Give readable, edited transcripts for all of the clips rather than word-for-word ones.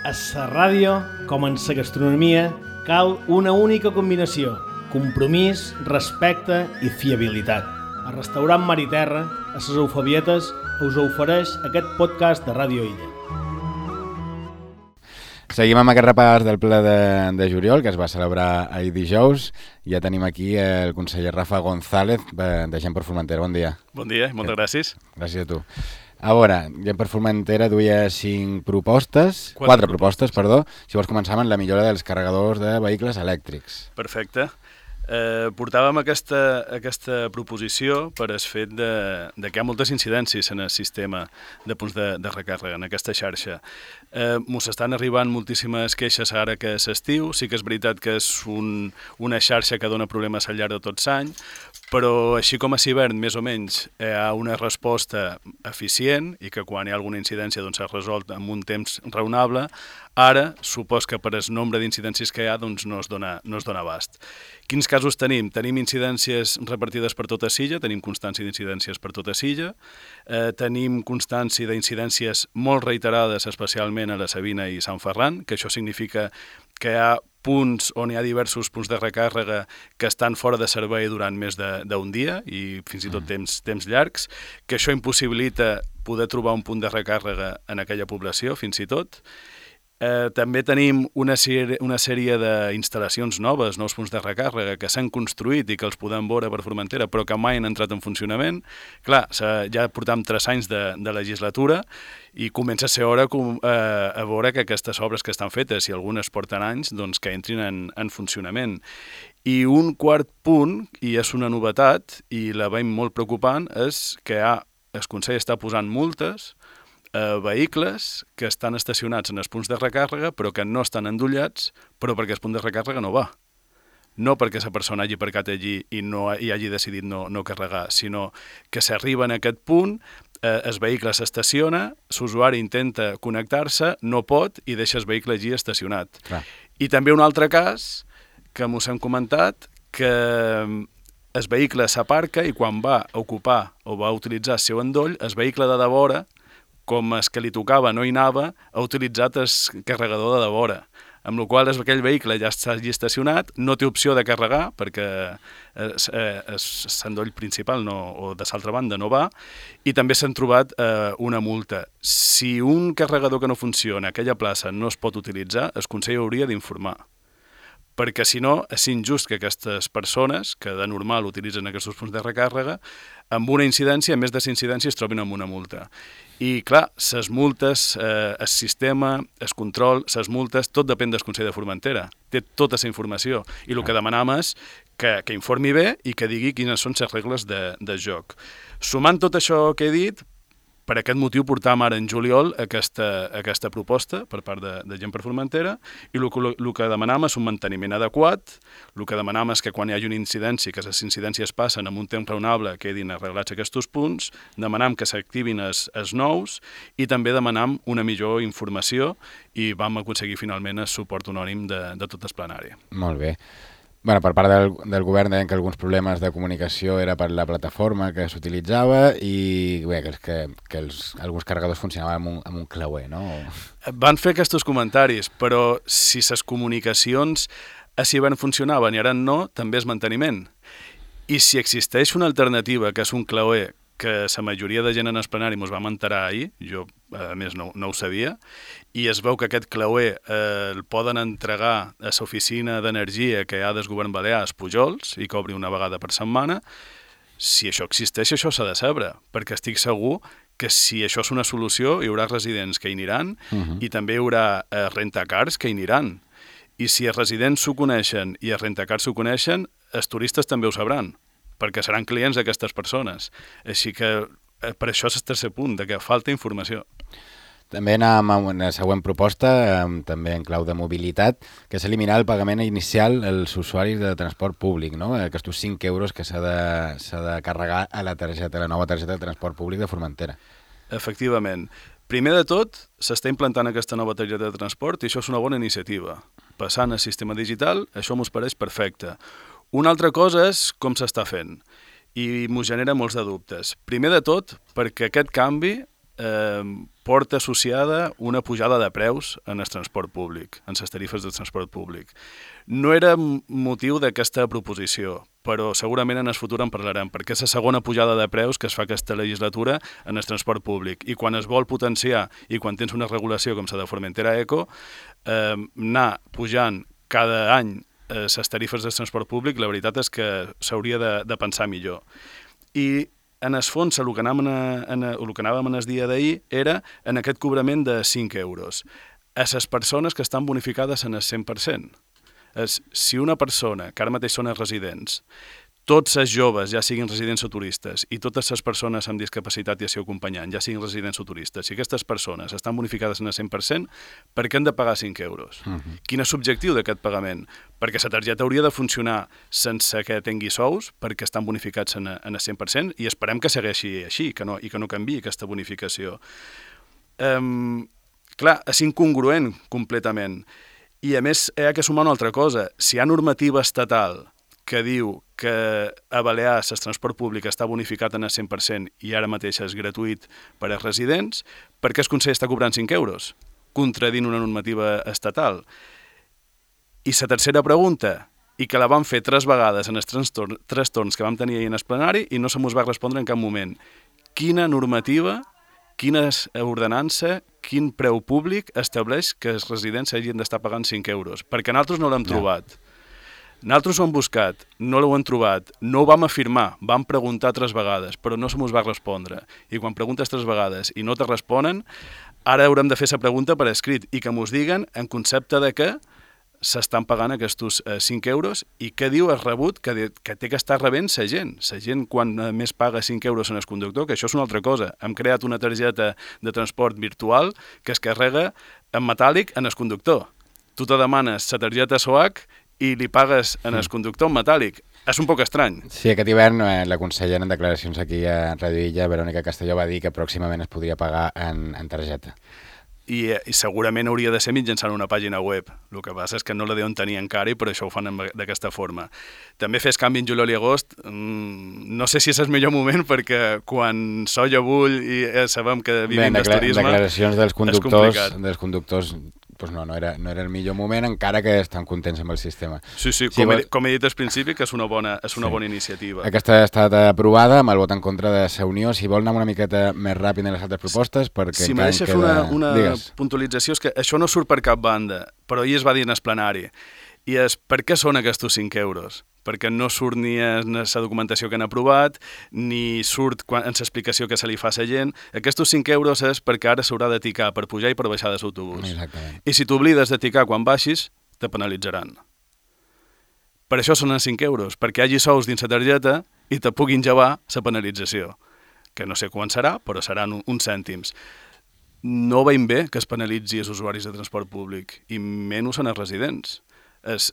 A la ràdio, com en la gastronomia, cal una única combinació: compromís, respecte i fiabilitat. El restaurant Mar i Terra, a les Eufabietes, us ofereix aquest podcast de Ràdio Illa. Seguim amb aquest repàs del ple de juliol, que es va celebrar ahir dijous. Ja tenim aquí el conseller Rafa González, de Gent per Formentera. Bon dia. Bon dia i moltes gràcies. Gràcies a tu. A veure, Gent per Formentera duia 4 propostes. Si vols començar amb la millora dels carregadors de vehicles elèctrics. Perfecte. Portàvem aquesta proposició per el fet de que hi ha moltes incidències en el sistema de punts de recàrrega, en aquesta xarxa. Mos estan arribant moltíssimes queixes ara que és estiu. Sí que és veritat que és una xarxa que dona problemes al llarg de tot l'any, però així com a hivern, més o menys, hi ha una resposta eficient i que quan hi ha alguna incidència s'ha resolt en un temps raonable. Ara, supos que per el nombre d'incidències que hi ha no es dona abast. Quins casos tenim? Tenim incidències repartides per tota Silla, tenim constància d'incidències per tota Silla, tenim constància d'incidències molt reiterades, especialment a la Sabina i Sant Ferran, que això significa que hi ha punts on hi ha diversos punts de recàrrega que estan fora de servei durant més d'un dia i fins i tot temps llargs, que això impossibilita poder trobar un punt de recàrrega en aquella població, fins i tot. També tenim una sèrie d'instal·lacions noves, nous punts de recàrrega que s'han construït i que els podem veure per Formentera, però que mai han entrat en funcionament. Clar, ja portam 3 anys de legislatura i comença a ser hora a veure que aquestes obres que estan fetes, i algunes porten anys, doncs que entrin en funcionament. I un quart punt, i és una novetat, i la veiem molt preocupant, és que el Consell està posant multes vehicles que estan estacionats en els punts de recàrrega però que no estan endollats, però perquè el punt de recàrrega no va. No perquè la persona hagi aparcat allí i hagi decidit no carregar, sinó que s'arriba en aquest punt, el vehicle s'estaciona, l'usuari intenta connectar-se, no pot i deixa el vehicle allí estacionat. Clar. I també un altre cas que mos hem comentat, que el vehicle s'aparca i quan va a ocupar o va a utilitzar el seu endoll, el vehicle de devora, com el que li tocava no hi anava, ha utilitzat el carregador de devora, amb la qual cosa aquell vehicle ja està allí estacionat, no té opció de carregar perquè l'endoll principal o de l'altra banda no va, i també s'han trobat una multa. Si un carregador que no funciona a aquella plaça no es pot utilitzar, el Consell hauria d'informar, perquè si no és injust que aquestes persones, que de normal utilitzen aquests punts de recàrrega, amb una incidència, més de 5 incidències, trobin amb una multa. I clar, les multes, el sistema, el control, les multes, tot depèn del Consell de Formentera. Té tota la informació. I el que demanam és que informi bé i que digui quines són les regles de joc. Sumant tot això que he dit, per aquest motiu portam ara en juliol aquesta proposta per part de Gent per Formentera, i el que demanam és un manteniment adequat. El que demanam és que quan hi hagi una incidència, que les incidències passen en un temps raonable, quedin arreglats aquests punts, demanam que s'activin els nous i també demanam una millor informació, i vam aconseguir finalment el suport unànime de tot el plenari. Molt bé. Bueno, per part del govern deien que alguns problemes de comunicació era per la plataforma que s'utilitzava i bé, que alguns carregadors funcionaven amb un clauer, no? Van fer aquests comentaris, però si les comunicacions a hivern funcionaven i ara no, també és manteniment. I si existeix una alternativa, que és un clauer, que la majoria de gent en el plenari ens vam enterar ahir, jo a més no ho sabia, i es veu que aquest clauer el poden entregar a l'oficina d'energia que hi ha del govern balear als Pujols i que obri una vegada per setmana. Si això existeix, això s'ha de saber, perquè estic segur que si això és una solució hi haurà residents que hi aniran i també hi haurà rentacars que hi aniran. I si els residents s'ho coneixen i els rentacars s'ho coneixen, els turistes també ho sabran, perquè seran clients d'aquestes persones. Així que per això és el tercer punt, de que falta informació. També anàvem amb una següent proposta, també en clau de mobilitat, que és eliminar el pagament inicial als usuaris de transport públic, no? Aquests 5 euros que s'ha de carregar a la nova targeta de transport públic de Formentera. Efectivament. Primer de tot, s'està implantant aquesta nova targeta de transport i això és una bona iniciativa. Passant al sistema digital, això m'ho pareix perfecte. Una altra cosa és com s'està fent i m'ho genera molts de dubtes. Primer de tot, perquè aquest canvi porta associada una pujada de preus en el transport públic, en les tarifes de transport públic. No era motiu d'aquesta proposició, però segurament en el futur en parlarem, perquè és la segona pujada de preus que es fa aquesta legislatura en el transport públic. I quan es vol potenciar i quan tens una regulació com la de Formentera Eco, anar pujant cada any les tarifes del transport públic, la veritat és que s'hauria de pensar millor. I en el fons, el que anàvem en el dia d'ahir era en aquest cobrament de 5 euros. A les persones que estan bonificades en el 100%. Si una persona, que ara mateix són els residents, tots els joves, ja siguin residents o turistes, i totes les persones amb discapacitat i el seu acompanyant, ja siguin residents o turistes, si aquestes persones estan bonificades en el 100%, per què han de pagar 5 euros? Quin és l'objectiu d'aquest pagament? Perquè la targeta hauria de funcionar sense que tingui sous, perquè estan bonificats en el 100%, i esperem que segueixi així, i que no canviï aquesta bonificació. Clar, és incongruent completament. I a més, hi ha que sumar una altra cosa. Si hi ha normativa estatal que diu que a Balears el transport públic està bonificat en el 100% i ara mateix és gratuït per als residents, per què el Consell està cobrant 5 euros? Contradint una normativa estatal. I la tercera pregunta, i que la vam fer 3 vegades en els 3 torns que vam tenir ahir en el plenari i no se mos va respondre en cap moment. Quina normativa, quina ordenança, quin preu públic estableix que els residents hagin d'estar pagant 5 euros? Perquè nosaltres no l'hem trobat. Nosaltres ho hem buscat, no l'ho hem trobat, no ho vam afirmar, vam preguntar 3 vegades, però no se mos va respondre. I quan preguntes 3 vegades i no te responen, ara haurem de fer la pregunta per escrit i que mos diguen en concepte de què s'estan pagant aquests 5 euros i què diu el rebut que té que estar rebent la gent. La gent quan més paga 5 euros en el conductor, que això és una altra cosa. Hem creat una targeta de transport virtual que es carrega en metàl·lic en el conductor. Tu te demanes la targeta SOAC i li pagues en el conductor en metàl·lic. És un poc estrany. Sí, aquest hivern la consellera en declaracions aquí a Radio Illa, Verònica Castelló, va dir que pròximament es podria pagar en targeta. I segurament hauria de ser mitjançant una pàgina web. El que passa és que no la deuen tenir encara i per això ho fan d'aquesta forma. També fes canvi en juliol i agost. No sé si és el millor moment perquè quan solla bull i sabem que vivim del turisme... Declaracions dels conductors pues no era el millor moment, encara que estan contents amb el sistema. Sí, com he dit al principi, que és una bona iniciativa. Aquesta ha estat aprovada amb el vot en contra de la Unió. Si vol anar una miqueta més ràpid en les altres propostes, perquè si m'ha deixat fer una puntualització, és que això no surt per cap banda, però ahir es va dir en el plenari. I és per què són aquests 5 euros? Perquè no surt ni en la documentació que han aprovat, ni surt en l'explicació que se li fa a la gent. Aquests 5 euros és perquè ara s'haurà de ticar per pujar i per baixar de l'autobús. I si t'oblides de ticar quan baixis, te penalitzaran. Per això són els 5 euros, perquè hi hagi sous dins la targeta i te puguin llevar la penalització, que no sé quan serà, però seran uns cèntims. No veiem bé que es penalitzi els usuaris de transport públic, i menys en els residents. Els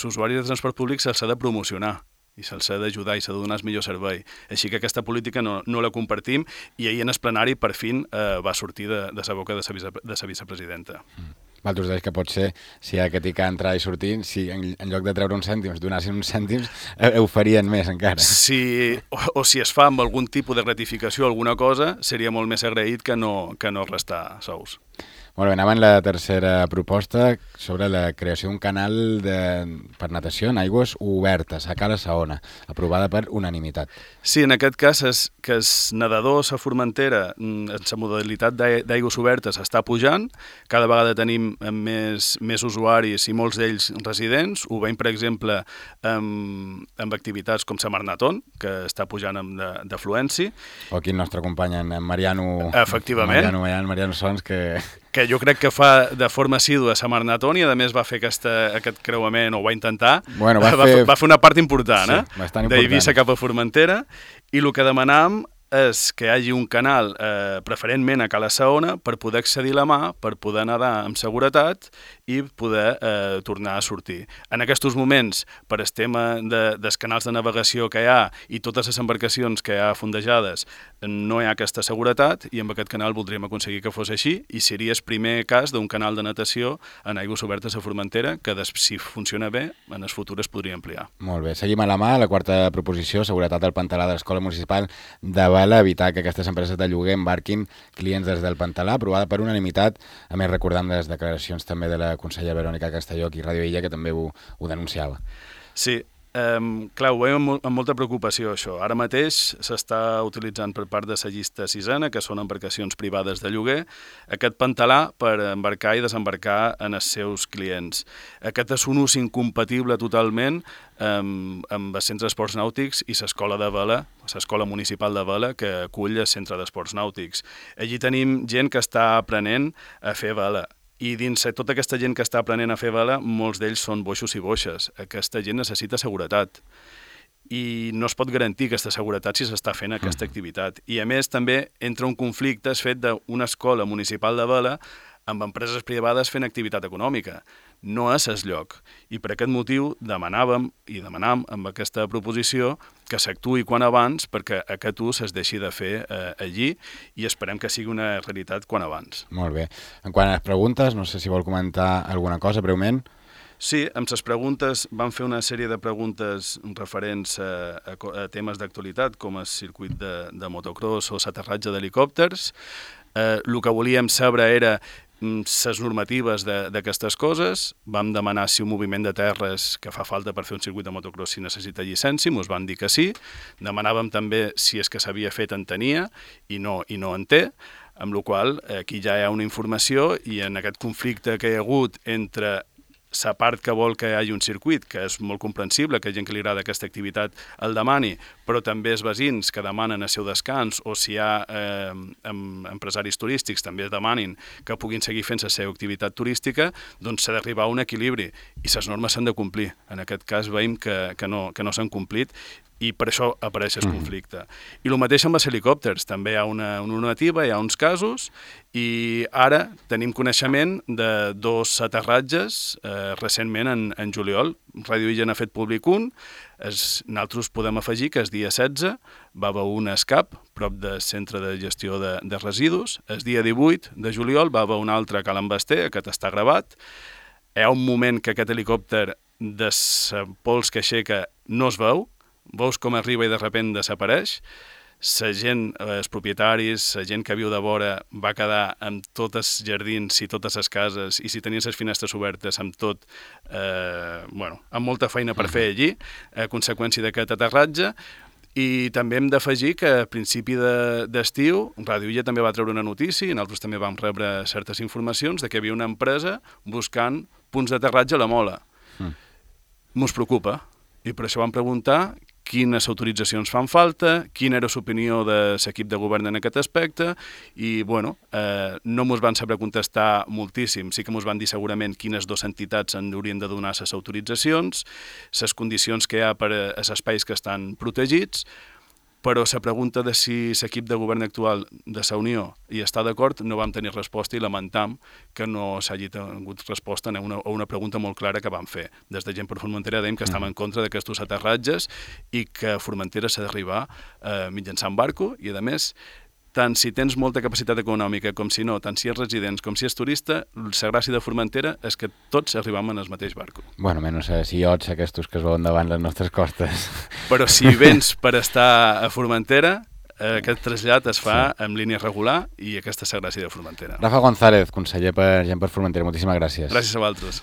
usuaris de transport públic se'ls ha de promocionar i se'ls ha d'ajudar i s'ha de donar el millor servei. Així que aquesta política no la compartim i ahir en el plenari per fin va sortir de la boca de la vicepresidenta. Vosaltres deus que pot ser, si hi ha que ticar, entrar i sortir, si en lloc de treure uns cèntims, donassin uns cèntims, ho farien més encara. Sí, o si es fa amb algun tipus de gratificació alguna cosa, seria molt més agraït que no restar sous. Molt bé, anàvem a la tercera proposta sobre la creació d'un canal per natació en aigües obertes, a Cala Saona, aprovada per unanimitat. Sí, en aquest cas és que els nedadors a Formentera, en la modalitat d'aigües obertes, està pujant. Cada vegada tenim més usuaris i molts d'ells residents. Ho veiem, per exemple, amb activitats com la Marnaton, que està pujant d'afluència. O aquí el nostre company, en Mariano... Efectivament. Mariano Sons, que jo crec que fa de forma assídua a Marnaton i a més va fer aquest creuament, o ho va intentar, va fer una part important, d'Eivissa cap a Formentera, i el que demanàvem és que hi hagi un canal preferentment a Cala Saona per poder accedir a la mà, per poder nedar amb seguretat i poder tornar a sortir. En aquests moments, per el tema dels canals de navegació que hi ha i totes les embarcacions que hi ha fondejades, no hi ha aquesta seguretat i amb aquest canal voldríem aconseguir que fos així i seria el primer cas d'un canal de natació en aigües obertes a Formentera que, si funciona bé, en el futur es podria ampliar. Molt bé. Seguim a la mà. La quarta proposició, seguretat al pantalà de l'Escola Municipal de Vall vela, evitar que aquestes empreses de lloguer embarquin clients des del Pantalà, aprovada per unanimitat. A més, recordant les declaracions també de la consellera Verònica Castelló aquí a Ràdio Illa, que també ho denunciava. Sí, clar, ho veiem amb molta preocupació, això. Ara mateix s'està utilitzant per part de la llista sisena, que són embarcacions privades de lloguer, aquest Pantalà per embarcar i desembarcar en els seus clients. Aquest és un ús incompatible totalment amb els centres d'esports nàutics i l'escola de vela, l'escola municipal de vela que acull el centre d'esports nàutics. Allí tenim gent que està aprenent a fer vela. I dins tota aquesta gent que està aprenent a fer vela, molts d'ells són boixos i boixes. Aquesta gent necessita seguretat. I no es pot garantir aquesta seguretat si s'està fent aquesta activitat. I a més també entra un conflicte fet d'una escola municipal de vela amb empreses privades fent activitat econòmica. No és el lloc. I per aquest motiu demanàvem amb aquesta proposició que s'actuï quan abans perquè aquest ús es deixi de fer allí i esperem que sigui una realitat quan abans. Molt bé. En quant a les preguntes, no sé si vol comentar alguna cosa breument. Sí, amb les preguntes vam fer una sèrie de preguntes referents a temes d'actualitat com el circuit de motocross o l'aterratge d'helicòpters. El que volíem saber era les normatives d'aquestes coses. Vam demanar si un moviment de terres que fa falta per fer un circuit de motocross si necessita llicència, ens van dir que sí. Demanàvem també si és que s'havia fet en tenia i no en té, amb la qual cosa aquí ja hi ha una informació i en aquest conflicte que hi ha hagut entre la part que vol que hi hagi un circuit, que és molt comprensible, que gent que li agrada aquesta activitat el demani, però també els veïns que demanen el seu descans o si hi ha empresaris turístics també demanin que puguin seguir fent la seva activitat turística, doncs s'ha d'arribar a un equilibri i les normes s'han de complir. En aquest cas veiem que no s'han complit i per això apareix el conflicte. I el mateix amb els helicòpters. També hi ha una normativa, hi ha uns casos, i ara tenim coneixement de 2 aterratges recentment en juliol. Ràdio Illa n'ha fet públic un. Nosaltres podem afegir que el dia 16 va haver un escap prop del centre de gestió de residus. El dia 18 de juliol va haver un altre a Cal Envester, aquest està gravat. Hi ha un moment que aquest helicòpter de pols que aixeca no es veu, veus com arriba i de sobte desapareix. La gent, els propietaris, la gent que viu de vora va quedar amb tots els jardins i totes les cases i si tenien les finestres obertes amb tot, amb molta feina per fer allí, a conseqüència d'aquest aterratge. I també hem d'afegir que a principi d'estiu Ràdio Illa també va treure una notícia i nosaltres també vam rebre certes informacions de que hi havia una empresa buscant punts d'aterratge a la Mola. Mos preocupa i per això vam preguntar quines autoritzacions fan falta, quina era l'opinió de l'equip de govern en aquest aspecte i, no ens van saber contestar moltíssim. Sí que ens van dir segurament quines 2 entitats en haurien de donar les autoritzacions, les condicions que hi ha per als espais que estan protegits, però la pregunta de si l'equip de govern actual de la Unió hi està d'acord no vam tenir resposta i lamentam que no s'hagi tingut resposta a una pregunta molt clara que vam fer. Des de Gent per Formentera dèiem que estàvem en contra d'aquests aterratges i que a Formentera s'ha d'arribar mitjançant barco i, a més, tant si tens molta capacitat econòmica com si no, tant si és resident com si és turista, la gràcia de Formentera és que tots arribam en el mateix barco. Bueno, menys si iots aquests que es veuen davant les nostres costes. Però si vens per estar a Formentera, aquest trasllat es fa en línia regular i aquesta és la gràcia de Formentera. Rafa González, conseller per Gent per Formentera, moltíssimes gràcies. Gràcies a vosaltres.